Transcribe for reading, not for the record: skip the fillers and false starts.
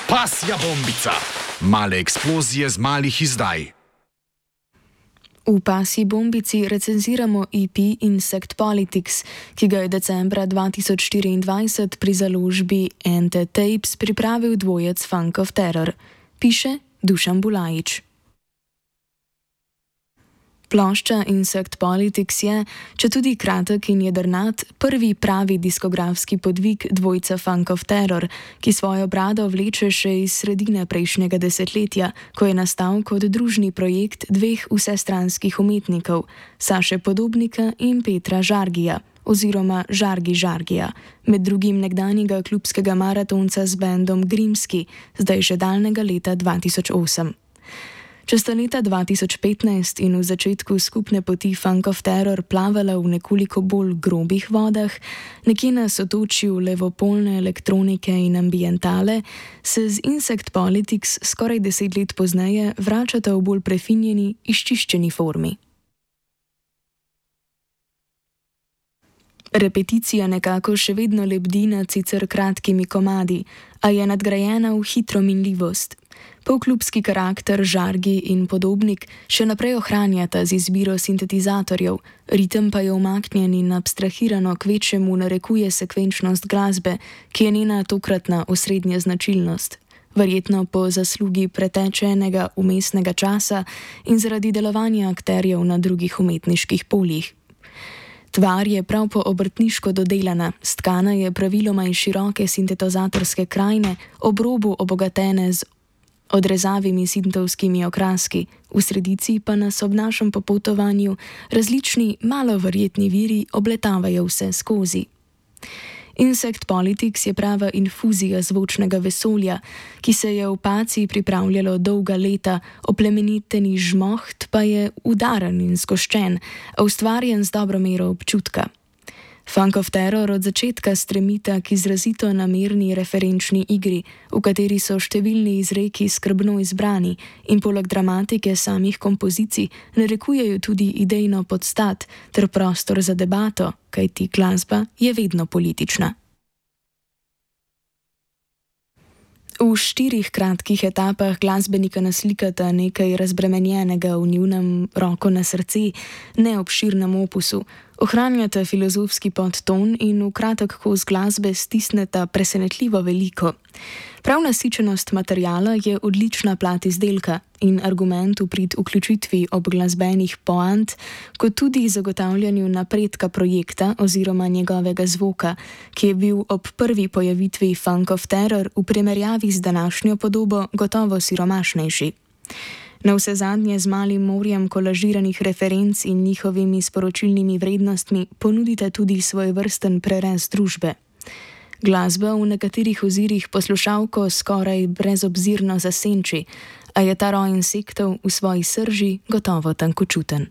Pasja bombica. Male eksplozije z malih izdaj. V Pasji bombici recenziramo EP Insect Politics, ki ga je decembra 2024 pri založbi Ente Tapes pripravil dvojec Funk of Terror. Piše Dušan Bulajič. Plošča Insect Politics je, četudi kratek in jedrnat, prvi pravi diskografski podvig dvojca Funk of Terror, ki svojo brado vleče še iz sredine prejšnjega desetletja, ko je nastal kot družni projekt dveh vsestranskih umetnikov, Saše Podobnika in Petra Žargija, oziroma Žargija, med drugim nekdanjega klubskega maratonca z bendom Grimski, zdaj že daljnega leta 2008. Če sta leta 2015 in v začetku skupne poti Funk of Terror plavala v nekoliko bolj grobih vodah, nekje na sotočju levopolne elektronike in ambientale, se z Insect Politics skoraj 10 let pozneje vračata v bolj prefinjeni, izčiščeni formi. Repeticija nekako še vedno lebdi nad sicer kratkimi komadi, a je nadgrajena v hitro minljivost. Polklubski karakter Žargi in Podobnik še naprej ohranjata z izbiro sintetizatorjev, ritem pa je umaknjen in abstrahirano kvečjemu narekuje sekvenčnost glasbe, ki je njena tokratna osrednja značilnost, verjetno po zaslugi pretečenega vmesnega časa in zaradi delovanja akterjev na drugih umetniških poljih. Tvar je prav po obrtniško dodelana, stkana je praviloma iz široke sintetizatorske krajine, ob robu obogatene z odrezavimi sintovskimi okraski, v sredici pa nas ob našem popotovanju različni, malo verjetni viri obletavajo vse skozi. Insect Politics je prava infuzija zvočnega vesolja, ki se je v Paciji pripravljalo dolga leta, oplemeniteni žmoht pa je udaren in zgoščen, a ustvarjen z dobro mero občutka. Funk of Terror od začetka stremita k izrazito namerni referenčni igri, v kateri so številni izreki skrbno izbrani in poleg dramatike samih kompozicij narekujejo tudi idejno podstat ter prostor za debato, kajti glasba je vedno politična. V 4 kratkih etapah glasbenika naslikata nekaj razbremenjenega v njunem roko na srce, neobširnem opusu, ohranjata filozofski podton in v kratek kos glasbe stisneta presenetljivo veliko. Prav nasičenost materiala je odlična plat izdelka in argument v prid vključitvi obglasbenih poant, kot tudi zagotavljanju napredka projekta oziroma njegovega zvoka, ki je bil ob prvi pojavitvi Funk of Terror v primerjavi z današnjo podobo gotovo siromašnejši. Navsezadnje z malim morjem kolažiranih referenc in njihovimi sporočilnimi vrednostmi ponudita tudi svojevrsten prerez družbe. Glasba v nekaterih ozirih poslušalko skoraj brezobzirno zasenči, a je ta roj insektov v svoji srži gotovo tankočuten.